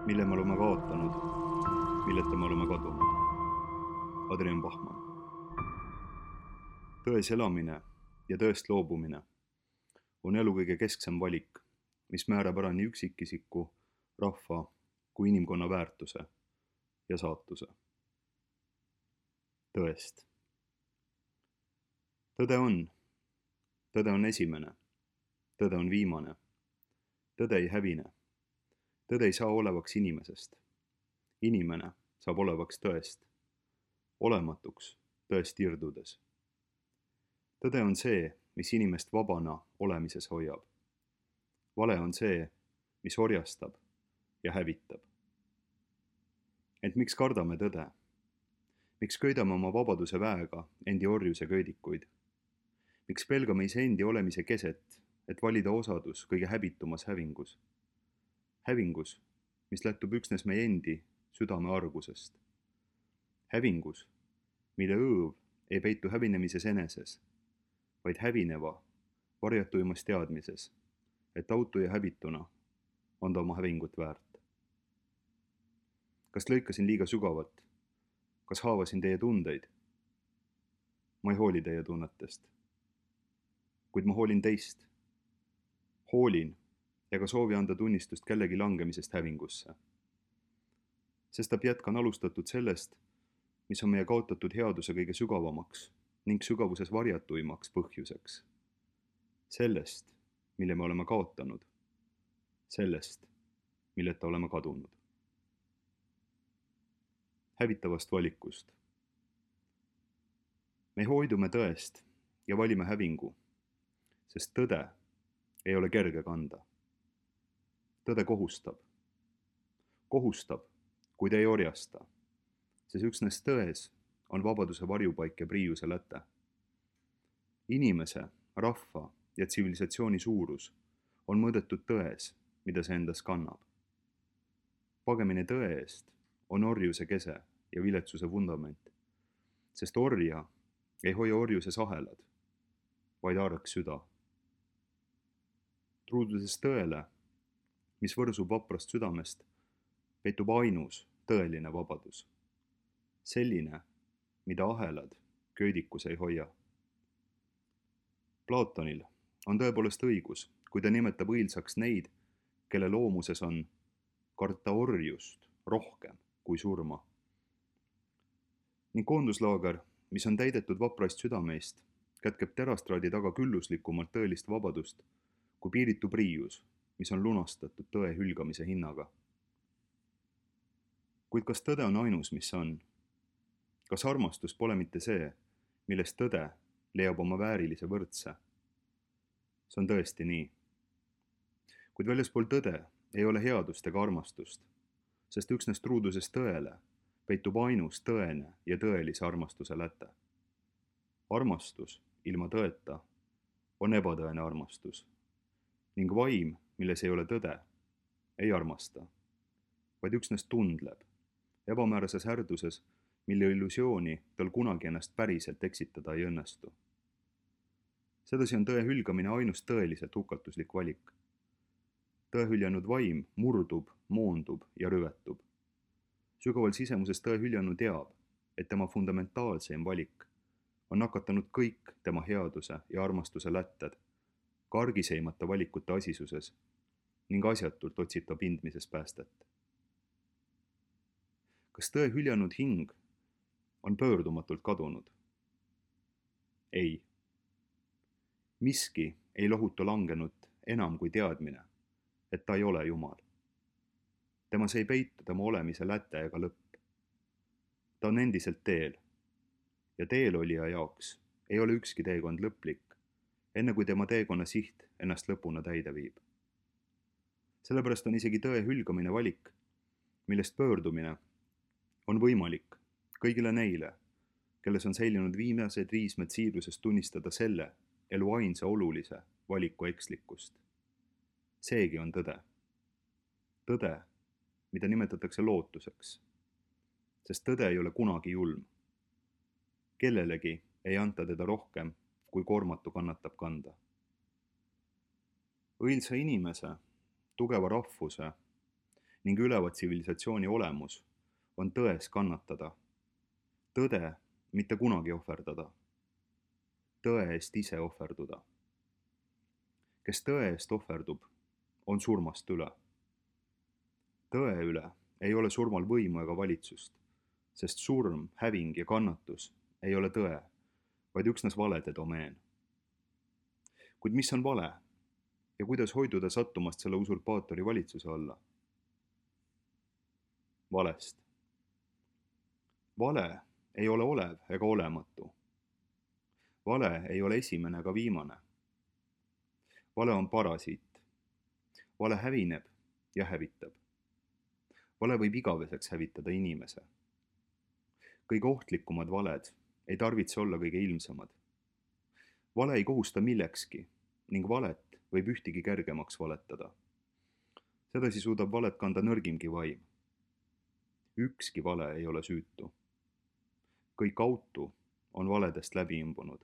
mille me oleme kaotanud, milleta me oleme kadunud. Adrian Bachmann. Tões elamine ja tõest loobumine on elu kõige kesksem valik, mis määrab ära nii üksikisiku, rahva kui inimkonna väärtuse ja saatuse. Tõest. Tõde on esimene, tõde on viimane, tõde ei hävine, tõde ei saa olevaks inimesest, inimene saab olevaks tõest, olematuks tõest irdudes. Tõde on see, mis inimest vabana olemises hoiab. Vale on see, mis orjastab ja hävitab. Ent miks kardame tõde? Miks köidame oma vabaduse väega endi orjuse köidikuid? Miks pelgame iseendi olemise keset, et valida osadus kõige häbitumas hävingus? Hävingus, mis lähtub üksnes meie endi südame argusest. Hävingus, mille õõv ei peitu hävinemises eneses, vaid hävineva, varjatuimas teadmises, et autu ja häbituna on ta oma hävingut väärt. Kas lõikasin liiga sügavalt? Kas haavasin teie tundeid? Ma ei hooli teie tunnetest. Kuid ma hoolin teist. Hoolin ega soovi anda tunnistust kellegi langemisest hävingusse. Sestap jätkan alustatud sellest, mis on meie kaotatud headuse kõige sügavamaks ning sügavuses varjatuimaks põhjuseks. Sellest, mille me oleme kaotanud. Sellest, milleta oleme kadunud. Hävitavast valikust. Me hoidume tõest ja valime hävingu, sest tõde ei ole kerge kanda. Tõde kohustab. Kohustab, kuid ei orjasta, sest üksnes tões on vabaduse varjupaik ja priiuse läte. Inimese, rahva ja tsivilisatsiooni suurus on mõõdetud tões, mida see endas kannab. Pagemine tõe eest on orjuse kese ja viletsuse vundament, sest orja ei hoia orjuses ahelad, vaid arg süda. Truuduses tõele, mis võrsub vaprast südamest, peitub ainus tõeline vabadus. Selline, mida ahelad köidikus ei hoia. Platonil on tõepoolest õigus, kui ta nimetab õilsaks neid, kelle loomuses on karta orjust rohkem kui surma. Ning koonduslaager, mis on täidetud vapraist südameist, kätkeb terastraadi taga külluslikumalt tõelist vabadust kui piiritu priius, mis on lunastatud tõe hülgamise hinnaga. Kuid kas tõde on ainus, mis on? Kas armastus pole mitte see, millest tõde leiab oma väärilise võrdse? See on tõesti nii. Kuid väljaspool tõde ei ole headust ega armastust, sest üksnes truuduses tõele peitub ainus tõene ja tõelise armastuse läte. Armastus ilma tõeta on ebatõene armastus ning vaim, milles ei ole tõde, ei armasta, vaid üksnes tundleb ebamäärases härduses, mille illusiooni tal kunagi ennast päriselt eksitada ei õnnestu. Sedasi on tõe hülgamine ainus tõeliselt hukatuslik valik. Tõe hüljanud vaim murdub, moondub ja rüvetub. Sügaval sisemuses tõe hüljanu teab, et tema fundamentaalseim valik on nakatanud kõik tema headuse ja armastuse lätted, kargiseimata valikute asisuses ning asjatult otsib ta pindmises päästet. Kas tõe hüljanud hing on pöördumatult kadunud? Ei. Miski ei lohuta langenut enam kui teadmine, et ta ei ole Jumal. Temas ei peitu tema olemise läte ega lõpp. Ta on endiselt teel ja teelolija jaoks ei ole ükski teekond lõplik, enne kui tema teekonna siht ennast lõpuna täide viib. Sellepärast on isegi tõe hülgamine valik, millest pöördumine on võimalik kõigile neile, kelles on säilinud viimased riismed siirusest tunnistada selle elu ainsa olulise valiku ekslikkust. Seegi on tõde. Tõde, mida nimetatakse lootuseks, sest tõde ei ole kunagi julm. Kellelegi ei anta teda rohkem, kui koormatu kannatab kanda. Õilsa inimese, tugeva rahvuse ning üleva tsivilisatsiooni olemus on tões kannatada, tõde mitte kunagi ohverdada, tõe eest ise ohverduda. Kes tõe eest ohverdub, on surmast üle. Tõe üle ei ole surmal võimu ega valitsust, sest surm, häving ja kannatus ei ole tõe, vaid üksnes valede domeen. Kuid mis on vale ja kuidas hoiduda sattumast selle usurpaatori valitsuse alla? Valest. Vale ei ole olev ega olematu. Vale ei ole esimene ega viimane. Vale on parasiit. Vale hävineb ja hävitab. Vale võib igaveseks hävitada inimese. Kõige ohtlikumad valed ei tarvitse olla kõige ilmsemad. Vale ei kohusta millekski ning valet võib ühtigi kergemaks valetada. Sedasi suudab valet kanda nõrgimgi vaim. Ükski vale ei ole süütu. Kõik autu on valedest läbi imbunud.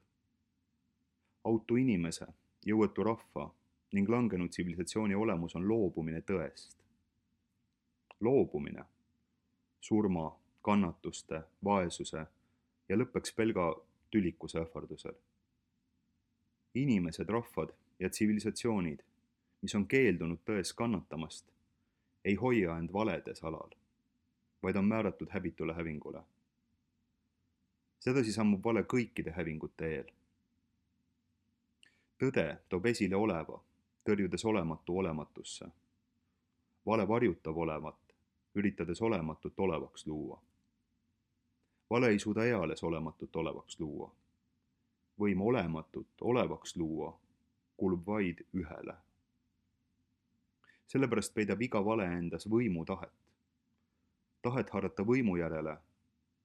Autu inimese, jõuetu rahva ning langenud tsivilisatsiooni olemus on loobumine tõest. Loobumine surma, kannatuste, vaesuse ja lõppeks pelga tülikuse ähvardusel. Inimesed, rahvad ja tsivilisatsioonid, mis on keeldunud tões kannatamast, ei hoia end valedes alal, vaid on määratud häbitule hävingule. Sedasi sammub vale kõikide hävingute eel. Tõde toob esile oleva, tõrjudes olematu olematusse. Vale varjutab olevat, üritades olematut olevaks luua. Vale ei suuda eales olematut olevaks luua. Võim olematut olevaks luua kuulub vaid ühele. Sellepärast peidab iga vale endas võimu tahet. Tahet haarata võimu järele,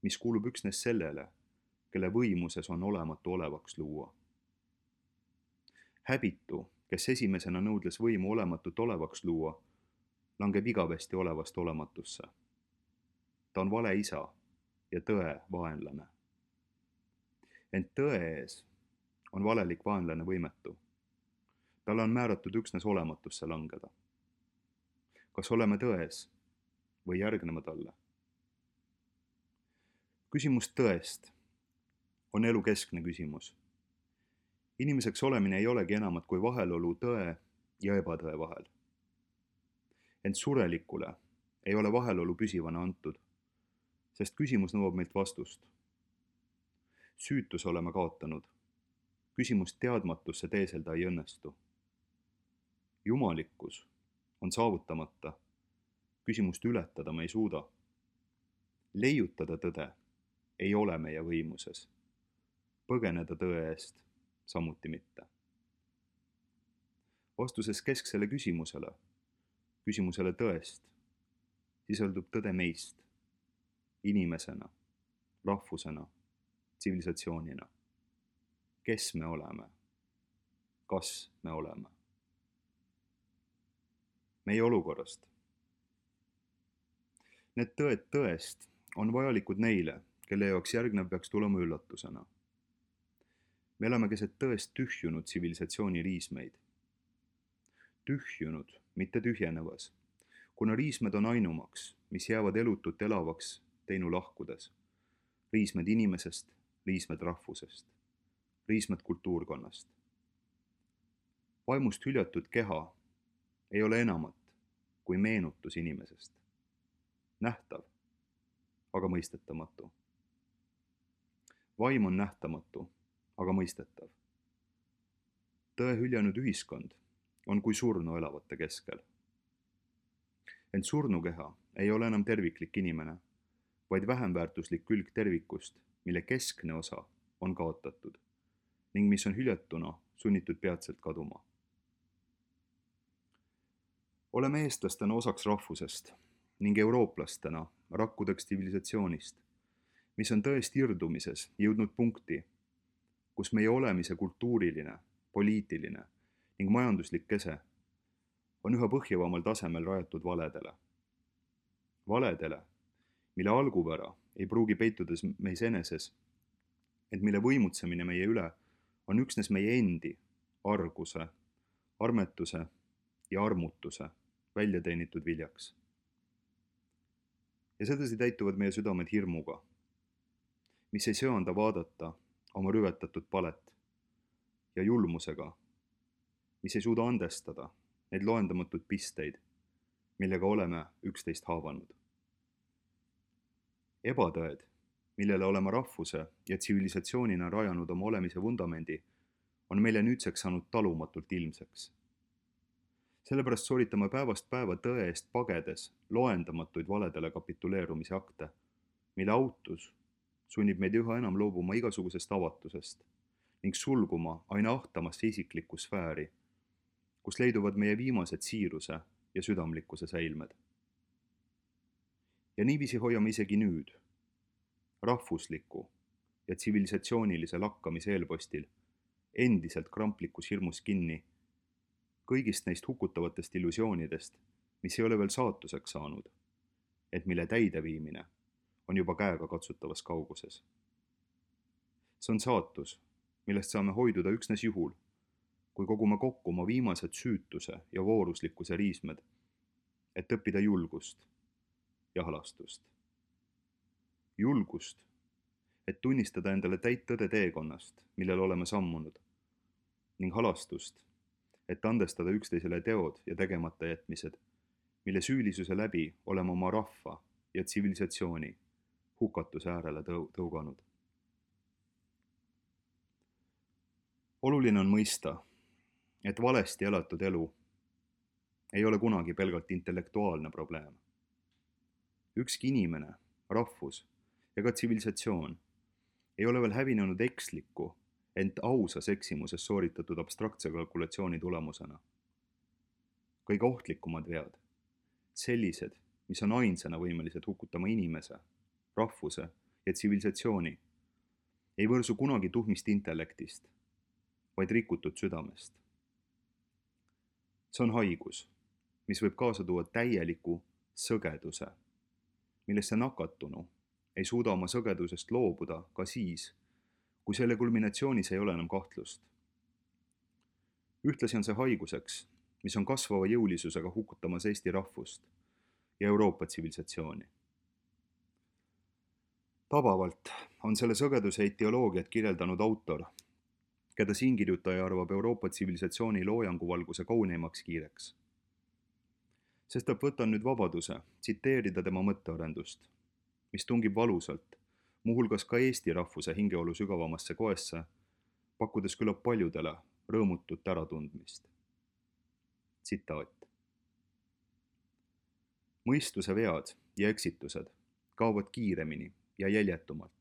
mis kuulub üksnes sellele, kelle võimuses on olematu olevaks luua. Häbitu, kes esimesena nõudles võimu olematut olevaks luua, langeb igavesti olevast olematusse. Ta on vale isa ja tõe vaenlane. Ent tõe ees on valelik vaenlane võimetu. Talle on määratud üksnes olematusse langeda. Kas oleme tões või järgneme talle? Küsimus tõest on elu keskne küsimus. Inimeseks olemine ei olegi enamat kui vahelolu tõe ja ebatõe vahel. Ent surelikule ei ole vahelolu püsivana antud, sest küsimus nõuab meilt vastust. Süütuse oleme kaotanud. Küsimust teadmatusse teeselda ei õnnestu. Jumalikkus on saavutamata. Küsimust ületada me ei suuda. Leiutada tõde ei ole meie võimuses. Põgeneda tõe eest samuti mitte. Vastuses kesksele küsimusele tõest, sisaldub tõde meist, inimesena, rahvusena, tsivilisatsioonina. Kes me oleme? Kas me oleme? Meie olukorrast. Need tõed tõest on vajalikud neile, kelle jaoks järgnev peaks tulema üllatusena. Me oleme keset tõest tühjunud tsivilisatsiooni riismeid. Tühjunud, mitte tühjenevas, kuna riismed on ainumaks, mis jäävad elutut elavaks teinu lahkudes. Riismed inimesest, riismed rahvusest, riismed kultuurkonnast. Vaimust hüljatud keha ei ole enamat kui meenutus inimesest. Nähtav, aga mõistetamatu. Vaim on nähtamatu, aga mõistetav. Tõe hüljanud ühiskond on kui surnu elavate keskel. Ent surnukeha ei ole enam terviklik inimene, vaid vähemväärtuslik külg tervikust, mille keskne osa on kaotatud ning mis on hüljatuna sunnitud peatselt kaduma. Oleme eestlastena osaks rahvusest ning eurooplastena rakkudeks tsivilisatsioonist, mis on tõest irdumises jõudnud punkti, kus meie olemise kultuuriline, poliitiline ning majanduslik kese on üha põhjavamal tasemel rajatud valedele. Valedele, mille algupära ei pruugi peitudes meis eneses, ent mille võimutsemine meie üle on üksnes meie endi arguse, armetuse ja armutuse väljateenitud viljaks. ja sedasi täituvad meie südamed hirmuga, mis ei söanda vaadata oma rüvetatud palet, ja julmusega, mis ei suuda andestada neid loendamatuid pisteid, millega oleme üksteist haavanud. Ebatõed, millele oleme rahvuse ja tsivilisatsioonina rajanud oma olemise vundamendi, on meile nüüdseks saanud talumatult ilmseks. Sellepärast sooritame päevast päeva tõe eest pagedes loendamatuid valedele kapituleerumise akte, mille autus sunnib meid üha enam loobuma igasugusest avatusest ning sulguma aina ahtamasse isiklikku sfääri, kus leiduvad meie viimased siiruse ja südamlikkuse säilmed. Ja niiviisi hoiame isegi nüüd, rahvusliku ja tsivilisatsioonilise lakkamise eelpostil, endiselt kramplikus hirmus kinni kõigist neist hukutavatest illusioonidest, mis ei ole veel saatuseks saanud, et mille täideviimine on juba käega katsutavas kauguses. See on saatus, millest saame hoiduda üksnes juhul, kui kogume kokku oma viimased süütuse ja vooruslikkuse riismed, et õppida julgust ja halastust. Julgust, et tunnistada endale täit tõde teekonnast, millel oleme sammunud, ning halastust, et andestada üksteisele teod ja tegemata jätmised, mille süülisuse läbi oleme oma rahva ja tsivilisatsiooni hukatuse äärele tõuganud. Oluline on mõista, et valesti elatud elu ei ole kunagi pelgalt intellektuaalne probleem. Ükski inimene, rahvus ja ka tsivilisatsioon ei ole veel hävinenud eksliku, ent ausas eksimuses sooritatud abstraktse kalkulatsiooni tulemusena. Kõige ohtlikumad vead, sellised, mis on ainsana võimelised hukutama inimese, rahvuse ja tsivilisatsiooni, ei võrsu kunagi tuhmist intellektist, vaid rikutud südamest. See on haigus, mis võib kaasa tuua täieliku sõgeduse, millesse nakatunu ei suuda oma sõgedusest loobuda ka siis, kui selle kulminatsioonis ei ole enam kahtlust. Ühtlasi on see haiguseks, mis on kasvava jõulisusega hukutamas Eesti rahvust ja Euroopa tsivilisatsiooni. Tabavalt on selle sõgeduse etioloogiat kirjeldanud autor, keda siinkirjutaja arvab Euroopa tsivilisatsiooni loojanguvalguse kauneimaks kiireks. Sestap võtan nüüd vabaduse tsiteerida tema mõttearendust, mis tungib valusalt, muuhulgas ka Eesti rahvuse hingeolu sügavamasse koesse, pakkudes küllap paljudele rõõmutut äratundmist. Tsitaat. Mõistuse vead ja eksitused kaovad kiiremini ja jäljetumalt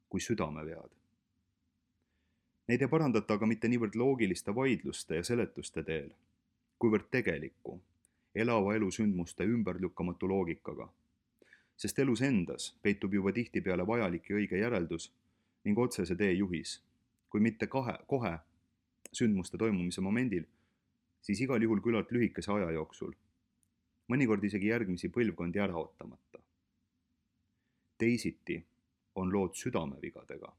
kui südamevead. Neid ei parandata aga mitte niivõrd loogiliste vaidluste ja seletuste teel, kuivõrd tegeliku, elava elu sündmuste ümberlükkamatu loogikaga, sest elus endas peitub juba tihtipeale vajalik ja õige järeldus ning otsese tee juhis, kui mitte kohe sündmuste toimumise momendil, siis igal juhul küllalt lühikese aja jooksul, mõnikord isegi järgmisi põlvkondi ära ootamata. Teisiti on lood südamevigadega.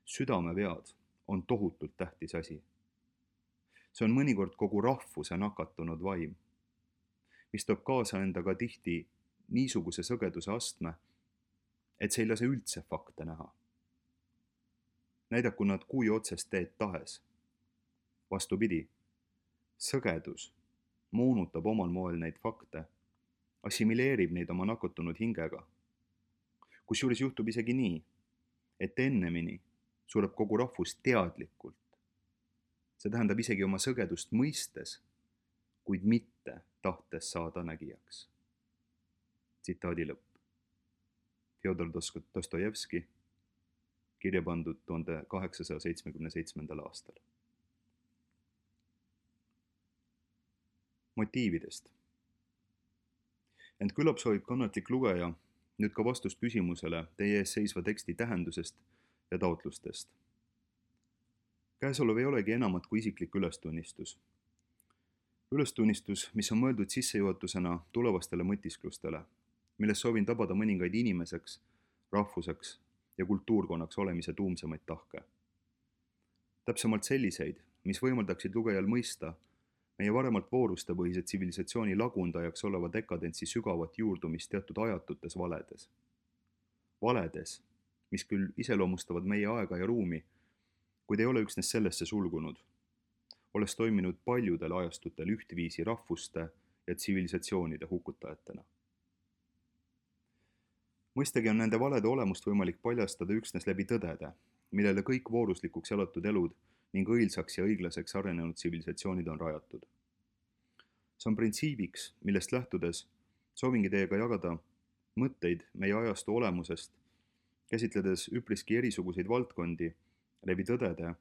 Südamevead on tohutult tähtis asi. See on mõnikord kogu rahvuse nakatunud vaim, mis toob kaasa endaga tihti niisuguse sõgeduse astme, et see ei lase üldse fakte näha. Näidaku nad kui otsest teed tahes. Vastupidi, sõgedus moonutab omal moel neid fakte, assimileerib neid oma nakatunud hingega. Kusjuures juhtub isegi nii, et ennemini sureb kogu rahvus teadlikult. See tähendab isegi oma sõgedust mõistes, kuid mitte tahtes saada nägijaks. Tsitaadi lõpp. Fjodor Dostojevski, kirja pandud 1877. aastal. Motiividest. Ent küllap soovib kannatlik lugeja nüüd ka vastust küsimusele teie ees seisva teksti tähendusest ja taotlustest. Käesolev ei olegi enamat kui isiklik ülestunnistus. Ülestunnistus, mis on mõeldud sissejuhatusena tulevastele mõtisklustele, milles soovin tabada mõningaid inimeseks, rahvuseks ja kultuurkonnaks olemise tuumsemaid tahke. Täpsemalt selliseid, mis võimaldaksid lugejal mõista, meie varemalt voorustepõhise tsivilisatsiooni lagundajaks oleva dekadentsi sügavat juurdumist teatud ajatutes valedes. Valedes, mis küll iseloomustavad meie aega ja ruumi, kuid ei ole üksnes sellesse sulgunud, olles toiminud paljudel ajastutel ühtviisi rahvuste ja tsivilisatsioonide hukutajatena. Mõistagi on nende valede olemust võimalik paljastada üksnes läbi tõdede, millele kõik vooruslikuks elatud elud ning õilsaks ja õiglaseks arenenud tsivilisatsioonid on rajatud. See on printsiibiks, millest lähtudes soovingi teiega jagada mõtteid meie ajastu olemusest, käsitledes üpriski erisuguseid valdkondi läbi tõdede,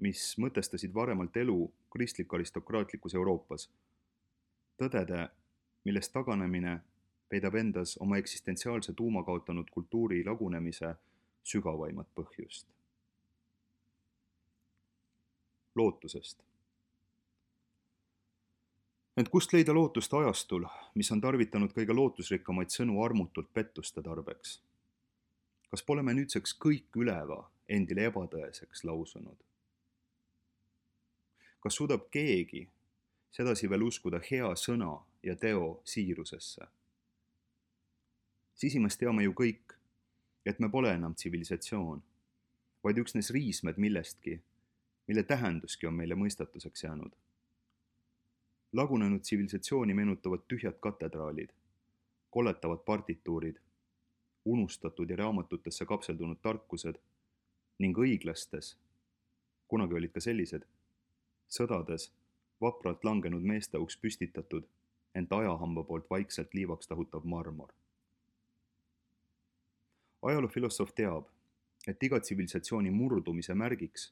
mis mõtestasid varemalt elu kristlik-aristokraatlikus Euroopas. Tõdede, millest taganemine peidab endas oma eksistentsiaalse tuuma kaotanud kultuuri lagunemise sügavaimat põhjust. Lootusest. Ent kust leida lootust ajastul, mis on tarvitanud kõige lootusrikkamaid sõnu armutult pettuste tarbeks? Kas pole me nüüdseks kõik üleva endile ebatõeseks lausunud? Kas suudab keegi sedasi veel uskuda hea sõna ja teo siirusesse? Sisimas teame ju kõik, et me pole enam tsivilisatsioon, vaid üksnes riismed millestki, mille tähenduski on meile mõistatuseks jäänud. Lagunenud tsivilisatsiooni meenutavad tühjad katedraalid, koletavad partituurid, unustatud ja raamatutesse kapseldunud tarkused ning õiglastes, kunagi olid ka sellised, sõdades vapralt langenud meeste auks püstitatud, ent ajahamba poolt vaikselt liivaks tahutav marmor. Ajaloofilosoof teab, et iga tsivilisatsiooni murdumise märgiks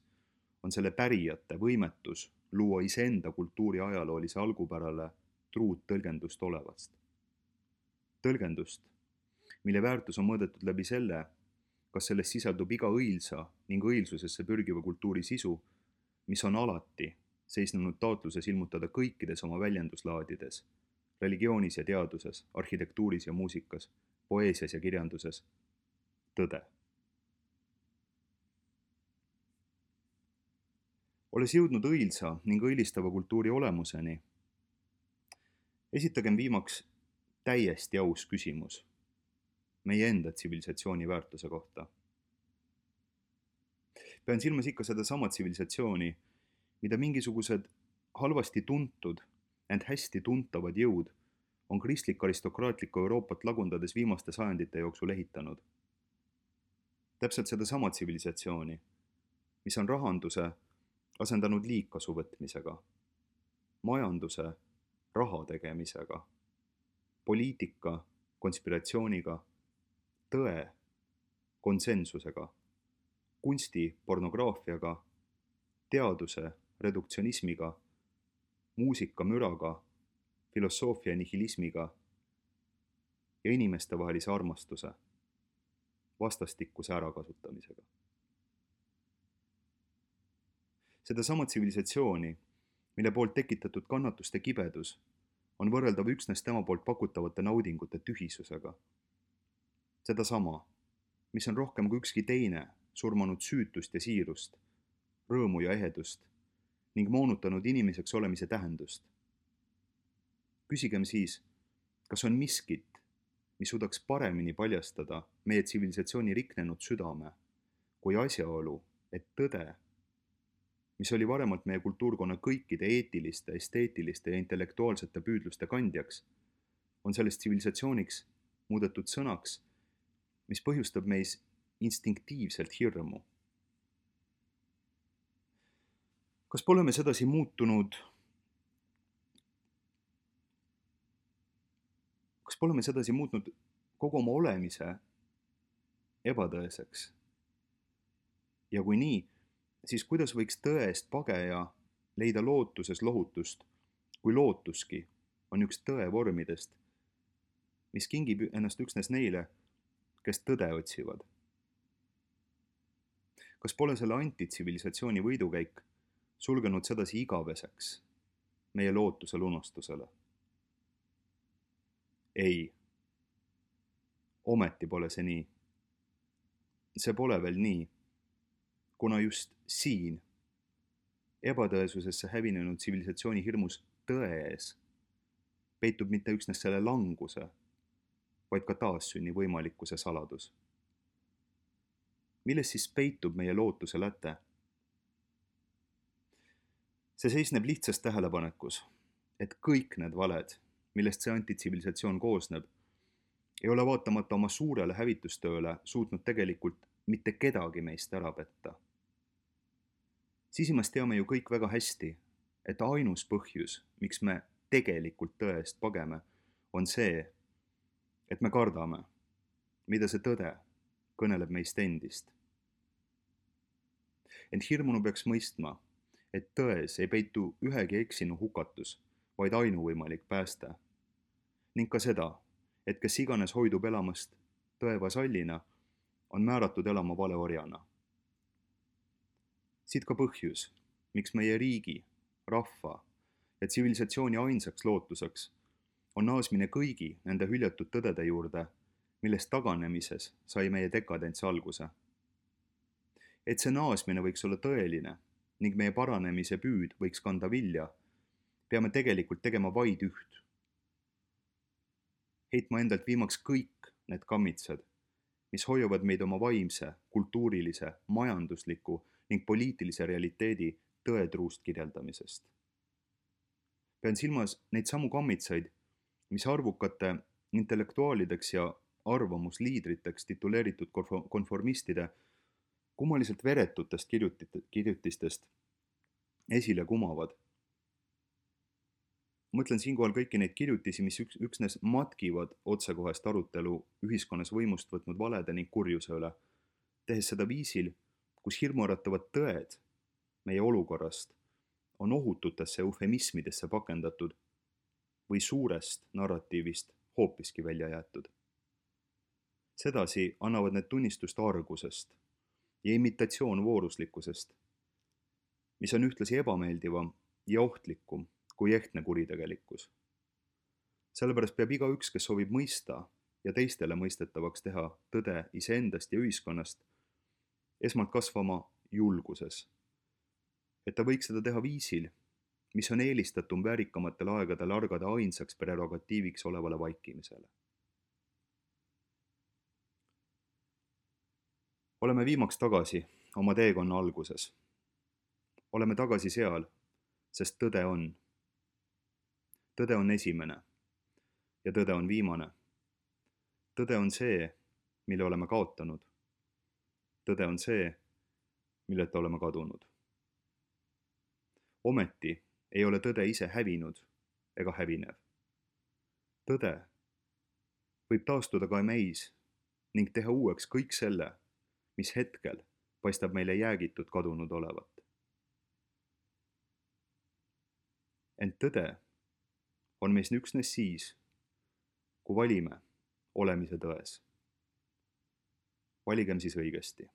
on selle pärijate võimetus luua iseenda kultuuri ajaloolise algupärale truud tõlgendust olevast. Tõlgendust, mille väärtus on mõõdetud läbi selle, kas selles sisaldub iga õilsa ning õilsusesse pürgiva kultuuri sisu, mis on alati seisnenud taotluses ilmutada kõikides oma väljenduslaadides, religioonis ja teaduses, arhitektuuris ja muusikas, poeesias ja kirjanduses, tõde. Olles jõudnud õilsa ning õilistava kultuuri olemuseni, esitagem viimaks täiesti aus küsimus meie enda tsivilisatsiooni väärtuse kohta. Pean silmas ikka seda sama tsivilisatsiooni, mida mingisugused halvasti tuntud, ent hästi tuntavad jõud on kristlik-aristokraatlikku Euroopat lagundades viimaste sajandite jooksul ehitanud. Täpselt seda sama tsivilisatsiooni, mis on rahanduse asendanud liigkasu võtmisega, majanduse raha tegemisega, poliitika konspiratsiooniga, tõe konsensusega, kunsti pornograafiaga, teaduse reduktsionismiga, muusika müraga, filosoofia nihilismiga ja inimestevahelise armastuse vastastikuse ärakasutamisega. Sedasama tsivilisatsiooni, mille poolt tekitatud kannatuste kibedus on võrreldav üksnes tema poolt pakutavate naudingute tühisusega. Sedasama, mis on rohkem kui ükski teine surmanud süütust ja siirust, rõõmu ja ehedust ning moonutanud inimeseks olemise tähendust. Küsigem siis, kas on miskit, mis suudaks paremini paljastada meie tsivilisatsiooni riknenud südame kui asjaolu, et tõde, mis oli varemalt meie kultuurkonna kõikide eetiliste, esteetiliste ja intellektuaalsete püüdluste kandjaks, on sellest tsivilisatsiooniks muudetud sõnaks, mis põhjustab meis instinktiivselt hirmu. Kas pole me sedasi muutnud kogu oma olemise ebatõeseks? Ja kui nii, siis kuidas võiks tõest pageja leida lootuses lohutust, kui lootuski on üks tõe vormidest, mis kingib ennast üksnes neile, kes tõde otsivad? Kas pole selle antitsivilisatsiooni võidukäik sulgenud sedasi igaveseks meie lootusel unustusele? Ei, ometi pole see nii. See pole veel nii, kuna just siin, ebatõesusesse hävinenud tsivilisatsiooni hirmus tões peitub mitte üksnes selle languse, vaid ka taassünni võimalikkuse saladus. Milles siis peitub meie lootuse läte? See seisneb lihtsas tähelepanekus, et kõik need valed, millest see antitsivilisatsioon koosneb, ei ole vaatamata oma suurele hävitustööle suutnud tegelikult mitte kedagi meist ära petta. Sisimas teame ju kõik väga hästi, et ainus põhjus, miks me tegelikult tõe eest pageme, on see, et me kardame, mida see tõde kõneleb meist endist. Ent hirmunu peaks mõistma, et tões ei peitu ühegi eksinu hukatus, vaid ainuvõimalik pääste. Ning ka seda, et kes iganes hoidub elamast tõe vasallina, on määratud elama valeorjana. Siit ka põhjus, miks meie riigi, rahva ja tsivilisatsiooni ainsaks lootuseks on naasmine kõigi nende hüljatud tõdede juurde, millest taganemises sai meie dekadents alguse. Et see naasmine võiks olla tõeline ning meie paranemise püüd võiks kanda vilja, peame tegelikult tegema vaid üht. Heitma endalt viimaks kõik need kammitsed, mis hoiavad meid oma vaimse, kultuurilise, majandusliku ning poliitilise realiteedi tõetruust kirjeldamisest. Pean silmas neid samu kammitsaid, mis arvukate intellektuaalideks ja arvamusliidriteks tituleeritud konformistide kummaliselt veretutest kirjutistest esile kumavad. Mõtlen siinkohal kõiki neid kirjutisi, mis üksnes matkivad otsekohest arutelu ühiskonnas võimust võtnud valede ning kurjuse üle, tehes seda viisil, kus hirmuäratavad tõed meie olukorrast on ohututesse eufemismidesse pakendatud või suurest narratiivist hoopiski välja jäetud. Sedasi annavad need tunnistust argusest ja imitatsioonvooruslikkusest, mis on ühtlasi ebameeldivam ja ohtlikum kui ehtne kuritegelikkus. Sellepärast peab igaüks, kes soovib mõista ja teistele mõistetavaks teha tõde iseendast ja ühiskonnast, esmalt kasvama julguses, et ta võiks seda teha viisil, mis on eelistatum väärikamatel aegadel argade ainsaks prerogatiiviks olevale vaikimisele. Oleme viimaks tagasi oma teekonna alguses. Oleme tagasi seal, sest tõde on. Tõde on esimene ja tõde on viimane. Tõde on see, mille oleme kaotanud. Tõde on see, milleta oleme kadunud. Ometi ei ole tõde ise hävinud ega hävinev. Tõde võib taastuda ka meis ning teha uueks kõik selle, mis hetkel paistab meile jäägitud kadunud olevat. Ent tõde on meis üksnes siis, kui valime olemise tões. Valigem siis õigesti.